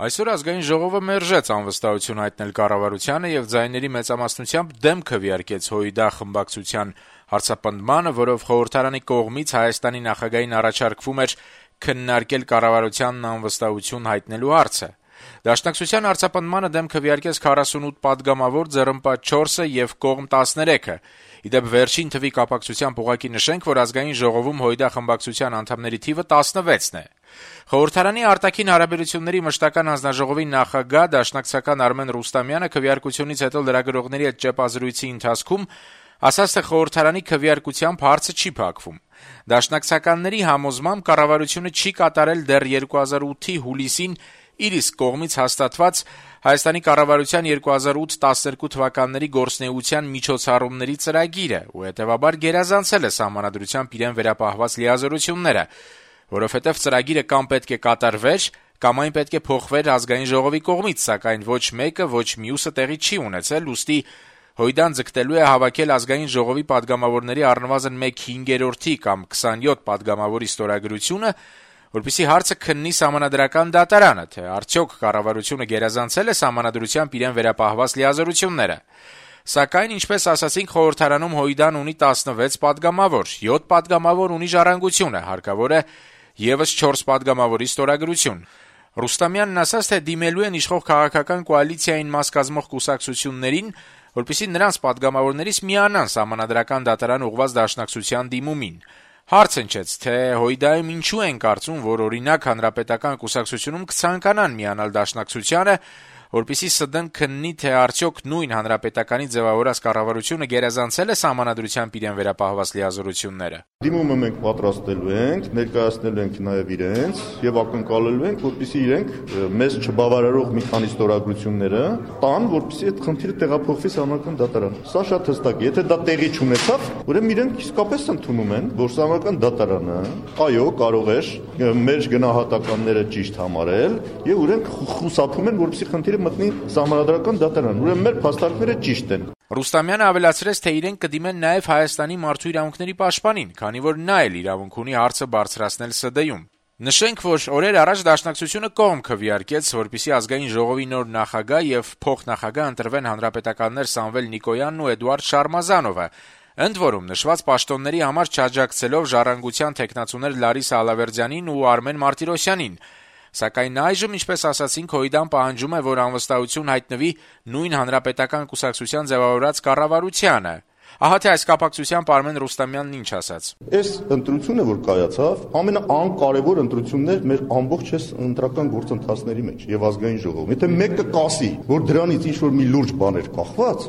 Այսօր ազգային ժողովը մերժեց անվստահություն հայտնել կառավարությանը եւ ձայների մեծամասնությամբ դեմ քվեարկեց ՀՅԴ խմբակցության հարցապնդմանը, որով խորհրդարանի կողմից Հայաստանի նախագահին առաջարկվում էր քննարկել կառավարությանն անվստահություն հայտնելու հարցը։ Դաշնակցության հարցապնդմանը դեմ քվեարկեց 48 падգամավոր, ձեռնպատ 4-ը եւ կողմ 13-ը։ Իդեպ վերջին թվի կապակցությամբ ուղղակի նշենք, որ ազգային ժողովում ՀՅԴ խմբակցության անդամների թիվը 16-ն է։ Խորհրդարանի արտաքին հարաբերությունների մշտական հանձնաժողովի նախագահ դաշնակցական Արմեն Ռուստամյանը քվեարկությունից հետո լրագրողների հետ ճեպազրույցի ընթացքում ասաց, թե խորհրդարանի քվեարկությամբ հարցը չի փակվում։ Դաշնակցականների համոզմամբ կառավարությունը չի կատարել դեռ 2008-ի հուլիսին իր իսկ կողմից հաստատված Հայաստանի կառավարության 2008-12 թվականների գործունեության միջոցառումների ծրագիրը ու հետեւաբար գերազանցել է սահմանադրությամբ իրեն վերապահված լիազորությունները, որովհետև ծրագիրը կամ պետք է կատարվեր, կամ այն պետք է փոխվեր ազգային ժողովի կողմից, սակայն ոչ մեկը, ոչ մյուսը տեղի չի ունեցել, ուստի ՀՅԴ-ն ձգտելու է հավաքել ազգային ժողովի падգամավորների առնվազն 1/5 կամ 27 падգամավորի ստորագրությունը, որպեսզի հարցը քննի Սահմանադրական դատարանը, թե արդյոք կառավարությունը գերազանցել է Սահմանադրությամբ իրեն վերապահված լիազորությունները։ Սակայն, ինչպես ասացինք, խորհրդարանում ՀՅԴ-ն ունի 16 падգամավոր, 7 падգամավոր ունի Ժառանգությունը, հարկավոր է եւս 4 падգամավորի ստորագրություն։ Ռուստամյանն ասաց, թե դիմելու են իշխող քաղաքական կոալիցիային մաս կազմող կուսակցություններին, որպեսզի նրանց падգամավորներից միանան Սահմանադրական դատարան ուղղված դաշնակցության դիմումին։ Հարց հնչեց, թե ՀՅԴ-ում ինչու են կարծում, որ օրինակ Հանրապետական կուսակցությունում կցանկանան միանալ դաշնակցությանը, որպեսզի ՍԴ-ն քննի, թե արդյոք նույն Հանրապետականի ձևավորած կառավարությունը գերազանցել է Սահմանադրությամբ իրեն վերապահված լիազորությունները։ Դիմումը մենք պատրաստելու ենք, ներկայացնելու ենք նաև իրենց եւ ակնկալելու ենք, որպեսզի իրենք մեզ չբավարարող մի քանի ստորագրությունները տան, որպեսզի այդ խնդիրը տեղափոխվի Սահմանադրական դատարան։ Սա շատ հստակ է։ Եթե դա տեղի չունեցավ, ուրեմն իրենք իսկապես ընդունում են, որ Սահմանադրական դատարանը, այո, կարող է մեր գնահատականները ճիշտ համարել եւ իրենք խուսափում են, որպեսզի խնդիրը մտնի Սահմանադրական դատարան։ Ուրեմն մեր փաստարկները ճիշտ են։ Ռուստամյանը ավելացրեց, թե իրենք կդիմեն նաև Հայաստանի մարդու իրավունքների պաշտպանին, քանի որ նա էլ իրավունք ունի հարցը բարձրացնել ՍԴ-ում։ Նշենք, որ օրեր առաջ Դաշնակցությունը կողմ քվեարկեց, որպեսզի ազգային ժողովի նոր նախագահ եւ փոխնախագահ ընտրվեն հանրապետականներ Սամվել Նիկոյանն ու Էդուարդ Շարմազանովը, ընդ որում նշված պաշտոնների համար չաջակցելով Ժառանգության թեկնածուներ Լարիսա Ալավերդյանին ու Արմեն Մարտիրոսյանին։ Սակայն այժմ, ինչպես ասացինք, ՀՅԴ-ն պահանջում է, որ անվստահություն հայտնվի նույն հանրապետական կուսակցության ձևավորած կառավարությանը։ Ահա թե այս կապակցությամբ Արմեն Ռուստամյանն ինչ ասաց։ Այս ընտրությունը, որ կայացավ, ամենանկարևոր ընտրությունն էր մեր ամբողջ ընտրական գործընթացների մեջ եւ ազգային ժողովում։ Եթե մեկը կասի, որ դրանից ինչ-որ մի լուրջ բան էր կախված,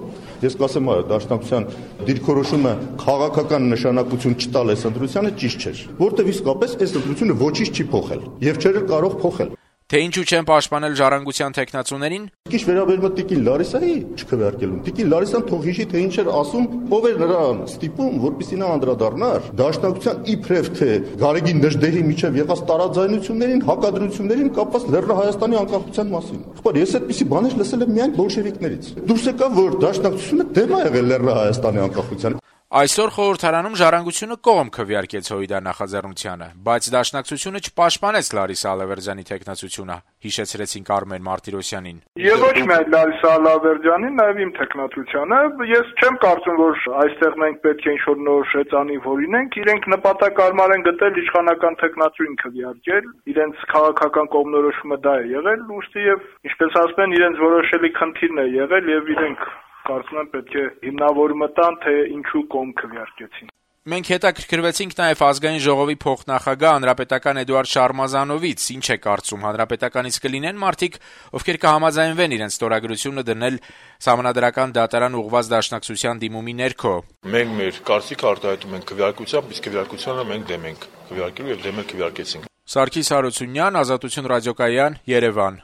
ես կասեմ, այո, Դաշնակցության դիրքորոշումը քաղաքական նշանակություն չտալ այս ընտրությանը ճիշտ չէր, որտեղ իսկապես այս ընտրությունը ոչինչ չի փոխել եւ չէր կարող փոխել։ Թե ինչու չեն պաշտպանել Ժառանգության թեկնածուներին։ Ինչ վերաբերում է Տիկին Լարիսայի չքվեարկելուն։ Տիկին Լարիսան թող հիշի, թե ինչ էր ասում, ով էր նրան ստիպում, որպեսզի նա անդրադառնար Դաշնակցության իբրև թե Գարեգին Նժդեհի միջև եղած տարաձայնություններին, հակադրություններին կապված Լեռնահայաստանի անկախության մասին։ Ախպար, ես այդպիսի բաներ լսել եմ միայն բոլշևիկներից։ Դուրս եկավ, որ Դաշնակցությունը դեմ է եղել Լեռնահայաստանի անկախության։ Այսօր խորհրդարանում Ժառանգությունը կողմ քվեարկեց ՀՅԴ նախաձեռնությանը, բայց Դաշնակցությունը չպաշտպանեց Լարիսա Ալավերդյանի թեկնածությունը, հիշեցրեցինք Արմեն Մարտիրոսյանին։ Եվ ոչ միայն Լարիսա Ալավերդյանին, նաև իմ թեկնածությանը, ես չեմ կարծում, որ այստեղ մենք պետք է ինչ-որ նոր շեծանի որինենք, իրենք նպատակարար են գտել իշխանական թեկնածուին քվեարկել, իրենց քաղաքական կողմնորոշումը դա է եղել, ուստի եւ ինչպես ասում են, իրենց որոշելի խնդիրն է եղել եւ իրենք կարծում եմ պետք է հիմնավորումը տան, թե ինչու կողմ քվեարկեցին։ Մենք հետաքրքրվեցինք նաև ազգային ժողովի փոխնախագահ հանրապետական Էդուարդ Շարմազանովից, ինչ է կարծում, հանրապետականից կլինեն մարդիկ, ովքեր կհամաձայնվեն իրենց ստորագրությունը դնել Սահմանադրական դատարան ուղղված դաշնակցության դիմումի ներքո։ Մենք մեր կարծիքը արտահայտում ենք քվեարկությամբ, իսկ քվեարկությանը մենք դեմ ենք քվեարկելու եւ դեմ քվեարկեցինք։ Սարգիս Հարությունյան, Ազատություն ռադիոկայան, Երևան։